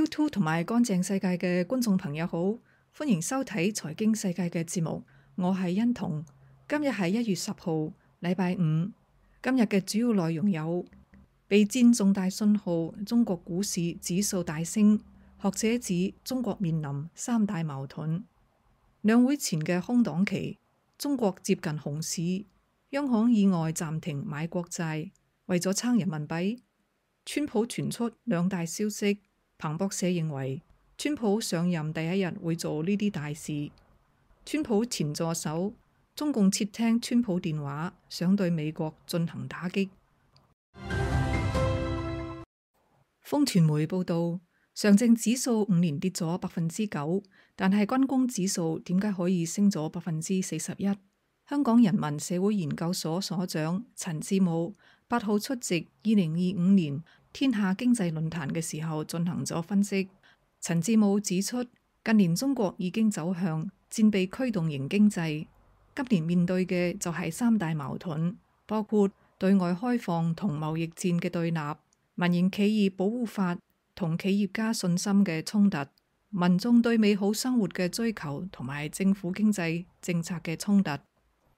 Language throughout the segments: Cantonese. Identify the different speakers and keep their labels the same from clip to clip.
Speaker 1: YouTube 同埋乾淨世界嘅觀眾朋友好，歡迎收睇財經世界嘅節目，我係欣彤。今日係1月10號，禮拜五。今日嘅主要內容有：備戰重大信號，中國股市指數大升，學者指中國面臨三大矛盾；兩會前嘅空檔期，中國接近熊市，央行意外暫停買國債，為咗撐人民幣。川普傳出兩大消息。彭博社認為，川普上任第一日會做呢啲大事。川普前助手中共竊聽川普電話，想對美國進行打擊。風傳媒報道，上證指數5年跌咗9%，但係軍工指數點解可以升咗41%？香港人民社會研究所所長陳志武8號出席2025年天下經濟論壇嘅時候進行咗分析。陳志武指出，近年中國已經走向戰備驅動型經濟，今年面對嘅就係三大矛盾，包括對外開放同貿易戰嘅對立、民營企業保護法同企業家信心嘅衝突、民眾對美好生活嘅追求同埋政府經濟政策嘅衝突。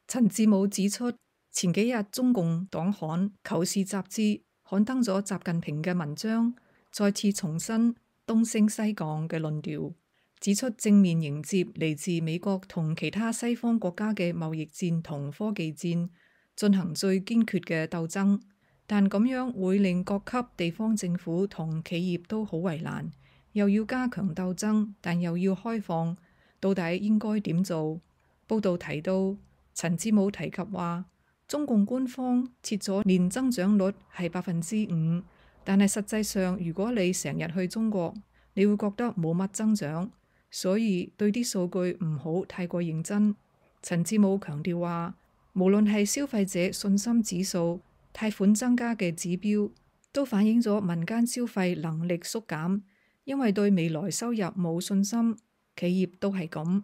Speaker 1: 陳志武指出，前幾日中共黨刊《求是》雜誌刊登咗習近平嘅文章，再次重申東升西降嘅論調，指出正面迎接嚟自美國同其他西方國家嘅貿易戰同科技戰，進行最堅決嘅鬥爭，但咁樣會令各級地方政府同企業都好為難，又要加強鬥爭，但又要開放，到底應該點做？報道提到，陳志武提及話，中共官方設咗年增長率係5%，但係實際上如果你成日去中國，你會覺得冇乜增長，所以對啲數據唔好太過認真。陳志武強調話，無論係消費者信心指數、貸款增加嘅指標，都反映咗民間消費能力縮減，因為對未來收入冇信心，企業都係咁。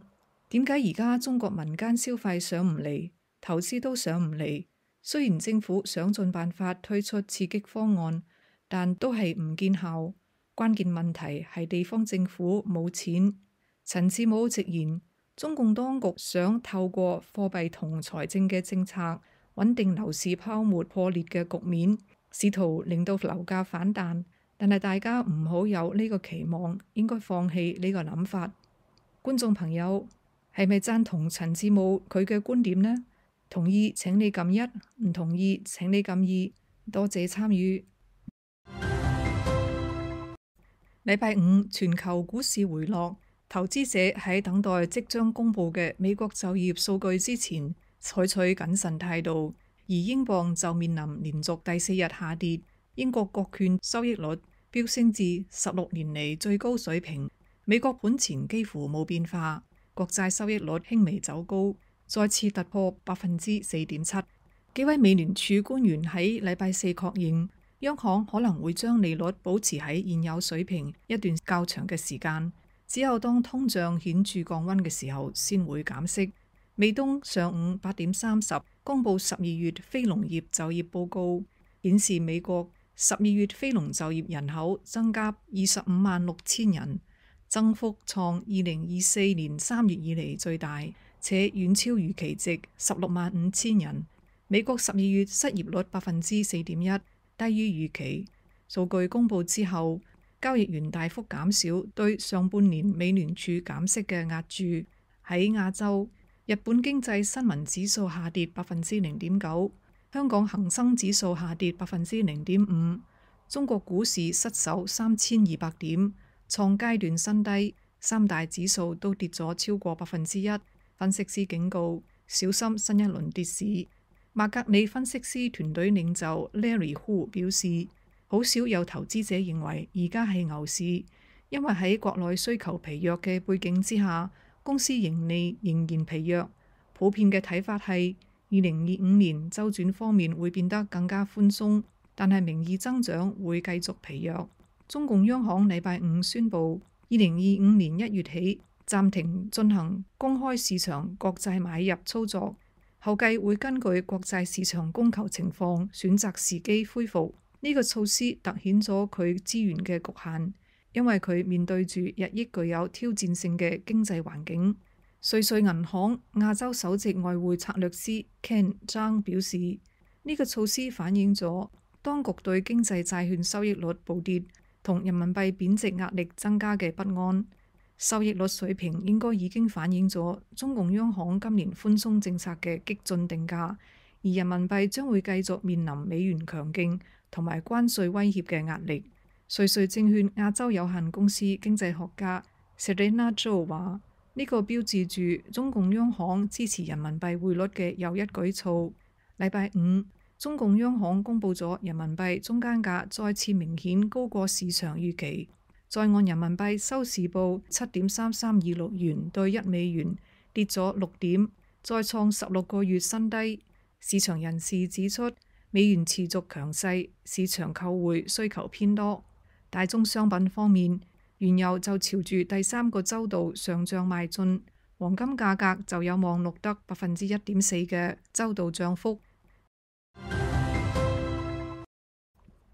Speaker 1: 點解而家中國民間消費上唔嚟，投資都上唔嚟？雖然政府想盡辦法推出刺激方案，但都係唔見效。關鍵問題係地方政府冇錢。陳志武直言，中共當局想透過貨幣同財政嘅政策穩定樓市泡沫破裂嘅局面，試圖令到樓價反彈。但係大家唔好有呢個期望，應該放棄呢個諗法。觀眾朋友，係咪贊同陳志武佢嘅觀點呢？同意請你撳1，唔同意請你撳2。多謝參與。禮拜五全球股市回落，投資者喺等待即將公布嘅美國就業數據之前採取謹慎態度，而英鎊就面臨連續第4日下跌。英國國券收益率飆升至16年嚟最高水平，美國盤前幾乎冇變化。國債收益率輕微走高，再次突破4.7%。幾位美聯儲官員喺禮拜四確認，央行可能會將利率保持喺現有水平一段較長嘅時間，只有當通脹顯著降溫嘅時候先會減息。美東上午8點30公佈12月非農業就業報告，顯示美國12月非農就業人口增加256000人。增幅創2024年3月以嚟最大，且遠超預期值165000人。美國12月失業率4.1%，低於預期。數據公佈之後，交易員大幅減少對上半年美聯儲減息嘅押注。喺亞洲，日本經濟新聞指數下跌0.9%，香港恒生指數下跌0.5%，中國股市失守3200點。創階段新低，三大指數都跌咗超過1%。分析師警告，小心新一輪跌市。麥格里分析師團隊領袖 Larry Hu 表示，好少有投資者認為而家係牛市，因為喺國內需求疲弱嘅背景之下，公司盈利仍然疲弱。普遍嘅睇法係2025年週轉方面會變得更加寬鬆，但係名義增長會繼續疲弱。中共央行禮拜五宣布，2025年1月起暫停進行公開市場國債買入操作，後繼會根據國債市場供求情況選擇時機恢復。呢個措施凸顯咗佢資源嘅局限，因為佢面對住日益具有挑戰性嘅經濟環境。瑞穗銀行亞洲首席外匯策略師 Ken Zhang 表示，呢個措施反映咗當局對經濟債券收益率暴跌同人民幣貶值壓力增加嘅不安。收益率水平應該已經反映咗中共央行今年寬鬆政策嘅激進定價，而人民幣將會繼續面臨美元強勁同埋關稅威脅嘅壓力。瑞穗證券亞洲有限公司經濟學家 Serena Zhou 話：呢個標誌住中共央行支持人民幣匯率嘅又一舉措。禮拜五，中共央行公布咗人民幣中間價再次明顯高過市場預期，在岸人民幣收市報7.3326元對1美元，跌咗6點，再創16個月新低。市場人士指出，美元持續強勢，市場購匯需求偏多。大宗商品方面，原油就朝住第3個週度上漲邁進，黃金價格就有望錄得1.4%嘅週度漲幅。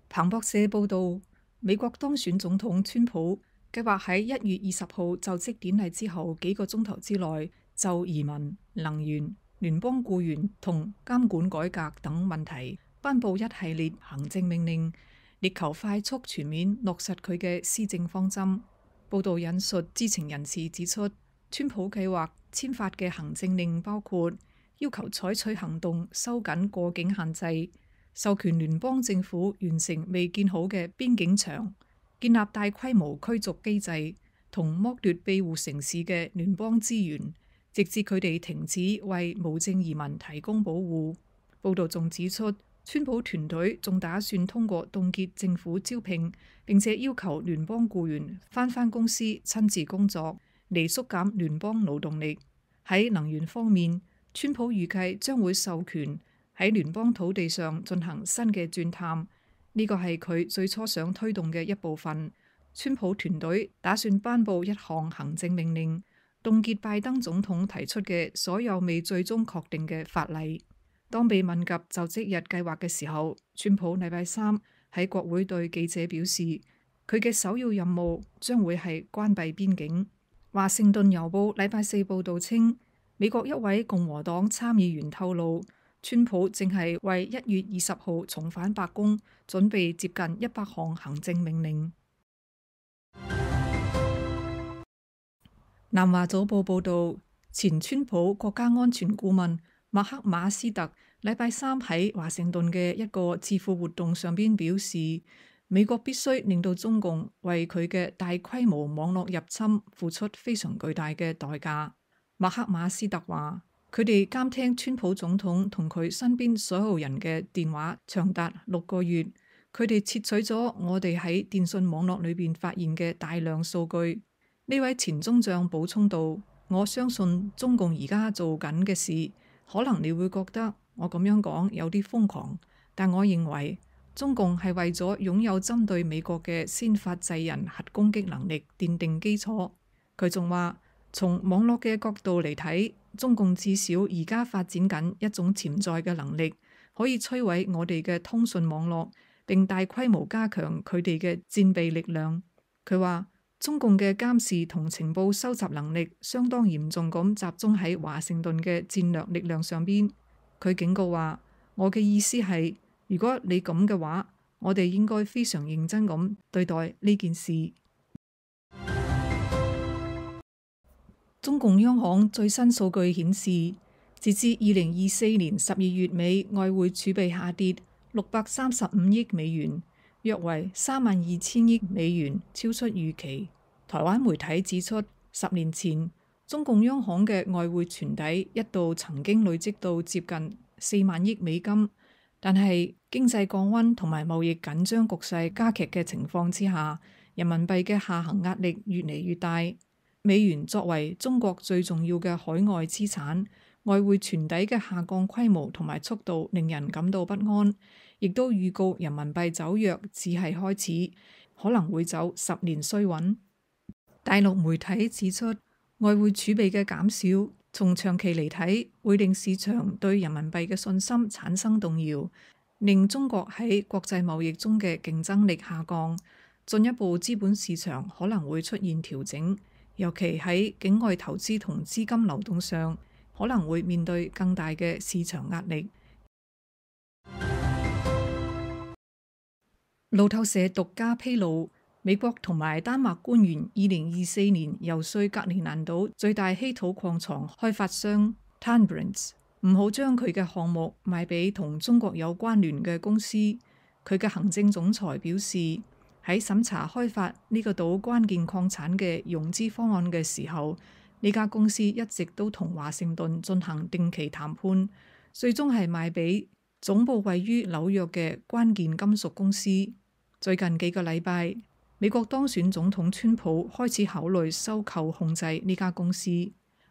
Speaker 1: 彭博社報導，美國當選總統川普計劃喺1月20號就職典禮之後幾個鐘頭之內就移民、能源、聯邦僱員同監管改革等問題頒布一系列行政命令，力求快速全面落實佢嘅施政方針。報導引述知情人士指出，川普計劃簽發嘅行政令包括要求採取行動收緊過境限制，授權聯邦政府完成未建好嘅邊境牆，建立大規模驅逐機制，同剝奪庇護城市嘅聯邦資源，直至佢哋停止為無證移民提供保護。報導仲指出，川普團隊仲打算通過凍結政府招聘，並且要求聯邦僱員返公司親自工作，嚟縮減聯邦勞動力。喺能源方面，川普預計將會授權喺聯邦土地上進行新嘅鑽探，呢個係佢最初想推動嘅一部分。川普團隊打算頒布一項行政命令，凍結拜登總統提出嘅所有未最終確定嘅法例。當被問及就職日計劃嘅時候，川普禮拜三喺國會對記者表示，佢嘅首要任務將會係關閉邊境。華盛頓郵報禮拜四報導稱，美國一位共和黨參議員透露，川普正係為1月20號重返白宮準備接近100項行政命令。南華早報報導，前川普國家安全顧問麥克馬斯特禮拜三喺華盛頓嘅一個智庫活動上邊表示，美國必須令到中共為佢嘅大規模網絡入侵付出非常巨大嘅代價。麥克馬斯特話，佢哋監聽川普總統同佢身邊所有人嘅電話長達6個月，佢哋竊取咗我哋喺電信網絡裏邊發現嘅大量數據。呢位前中將補充道，我相信中共而家做緊嘅事，可能你會覺得我咁樣講有啲瘋狂，但我認為中共係為咗擁有針對美國嘅先發制人核攻擊能力奠定基礎。佢仲話，從網絡嘅角度嚟睇，中共至少而家發展緊一種潛在嘅能力，可以摧毀我哋嘅通訊網絡，並大規模加強佢哋嘅戰備力量。佢話，中共嘅監視同情報收集能力相當嚴重咁集中喺華盛頓嘅戰略力量上邊。佢警告話，我嘅意思係，如果你咁嘅話，我哋應該非常認真咁對待呢件事。中共央行最新數據顯示，截至2024年12月尾，外匯儲備下跌635億美元，約為32000億美元，超出預期。台灣媒體指出，10年前中共央行嘅外匯存底一度曾經累積到接近4萬億美金，但係經濟降溫同埋貿易緊張局勢加劇嘅情況之下，人民幣嘅下行壓力越嚟越大。美元作為中國最重要嘅海外資產，外匯存底嘅下降規模同埋速度令人感到不安，亦都預告人民幣走弱只係開始，可能會走10年衰穩。大陸媒體指出，外匯儲備嘅減少，從長期嚟睇，會令市場對人民幣嘅信心產生動搖，令中國喺國際貿易中嘅競爭力下降。進一步資本市場可能會出現調整，尤其喺境外投資同資金流動上，可能會面對更大嘅市場壓力。路透社獨家披露，美國同埋丹麥官員2024年游說格陵蘭島最大稀土礦床開發商 Tanbrins 唔好將佢嘅項目賣俾同中國有關聯嘅公司。佢嘅行政總裁表示，喺審查開發呢個島關鍵礦產嘅融資方案嘅時候，呢家公司一直都同華盛頓進行定期談判，最終係賣俾總部位於紐約嘅關鍵金屬公司。最近幾個禮拜，美國當選總統川普開始考慮收購控制呢家公司。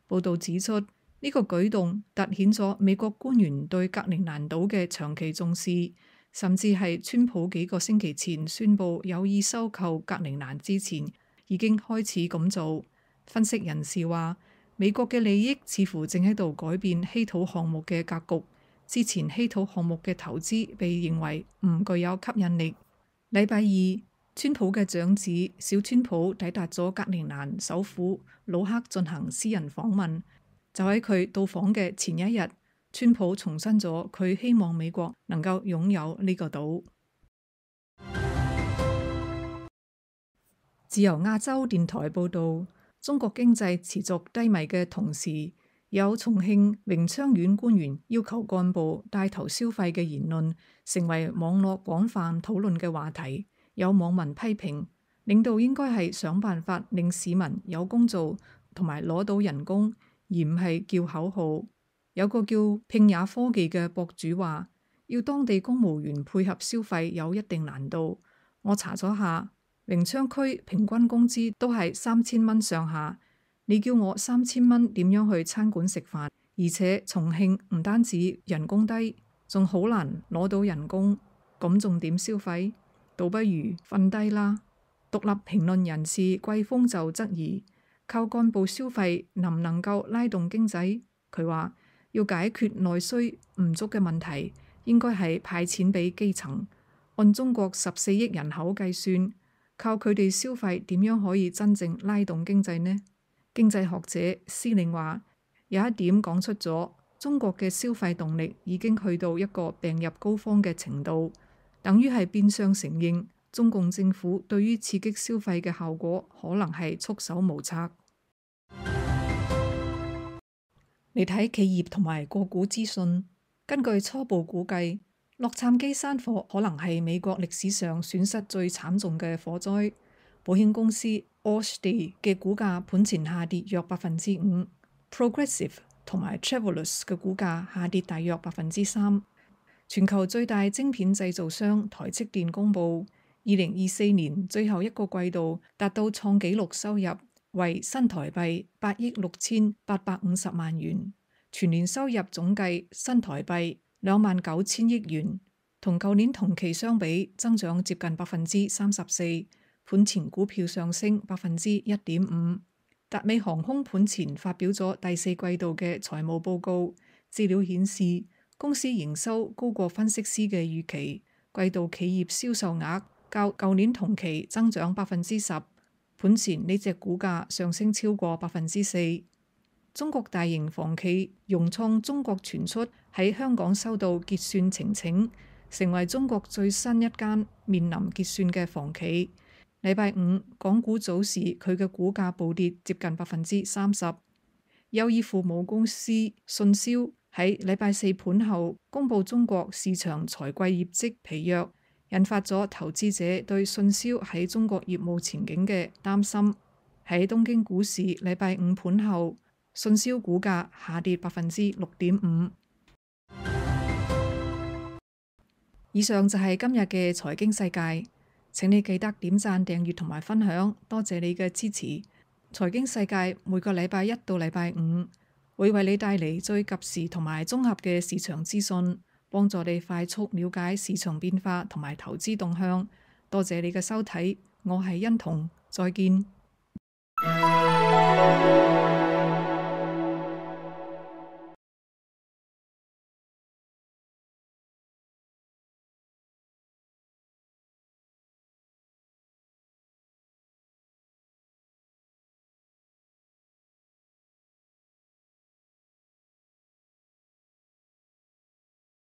Speaker 1: 報道指出，呢個舉動凸顯咗美國官員對格陵蘭島嘅長期重視，甚至係川普幾個星期前宣布有意收購格陵蘭之前已經開始咁做。分析人士話，美國嘅利益似乎正喺度改變稀土項目嘅格局。之前稀土項目嘅投資被認為唔具有吸引力。禮拜二，川普嘅長子小川普抵達咗格陵蘭首府魯克進行私人訪問。就喺佢到訪嘅前一日，川普重申咗佢希望美國能夠擁有呢個島。自由亞洲電台報導，中國經濟持續低迷嘅同時，有重慶榮昌縣官員要求幹部帶頭消費嘅言論成為網絡廣泛討論嘅話題。有網民批評，領導應該係想辦法令市民有工做同埋攞到人工，而唔係叫口號。有個叫拼也科技嘅博主話，要當地公務員配合消費有一定難度。我查咗下，榮昌區平均工資都係3000蚊上下。你叫我3000蚊點樣去餐館食飯？而且重慶唔單止人工低，仲好難攞到人工，咁仲點消費？倒不如瞓低啦。獨立評論人士季風就質疑，靠幹部消費能唔能夠拉動經濟？佢話要解決內需唔足嘅問題，應該係派錢俾基層。按中國14億人口計算，靠佢哋消費點樣可以真正拉動經濟呢？經濟學者司令話，有一點講出咗中國嘅消費動力已經去到一個病入膏肓嘅程度，等於係變相承認中共政府對於刺激消費嘅效果可能係束手無策。嚟睇企業同埋個股資訊，根據初步估計，洛杉磯山火可能係美國歷史上損失最慘重嘅火災。保險公司 Allstate 嘅股價盤前下跌約5%， Progressive 同埋 Travelers 嘅股價下跌大約3%。全球最大晶片製造商台積電公佈，2024年最後一個季度達到創紀錄收入，為新台幣8億6850萬元，全年收入總計新台幣29000億元，同舊年同期相比增長接近34%。盤前股票上升1.5%。達美航空盤前發表咗第四季度嘅財務報告，資料顯示公司營收高過分析師嘅預期，季度企業銷售額較舊年同期增長10%。盤前呢隻股價上升超過4%。中國大型房企融創中國傳出喺香港收到結算呈請，成為中國最新一間面臨結算嘅房企。禮拜五港股早時佢嘅股價暴跌接近30%。優衣庫母公司信銷喺禮拜四盤後公佈中國市場財季業績疲弱，引發咗投資者對信銷喺中國業務前景嘅擔心。喺東京股市禮拜五盤後，信銷股價下跌6.5%。以上就係今日嘅財經世界。請你記得點讚、訂閱同埋分享，多謝你嘅支持。財經世界每個禮拜一到禮拜五會為你帶嚟最及時同埋綜合嘅市場資訊，幫助你快速了解市場變化同埋投資動向。多謝你嘅收睇，我係欣彤，再見。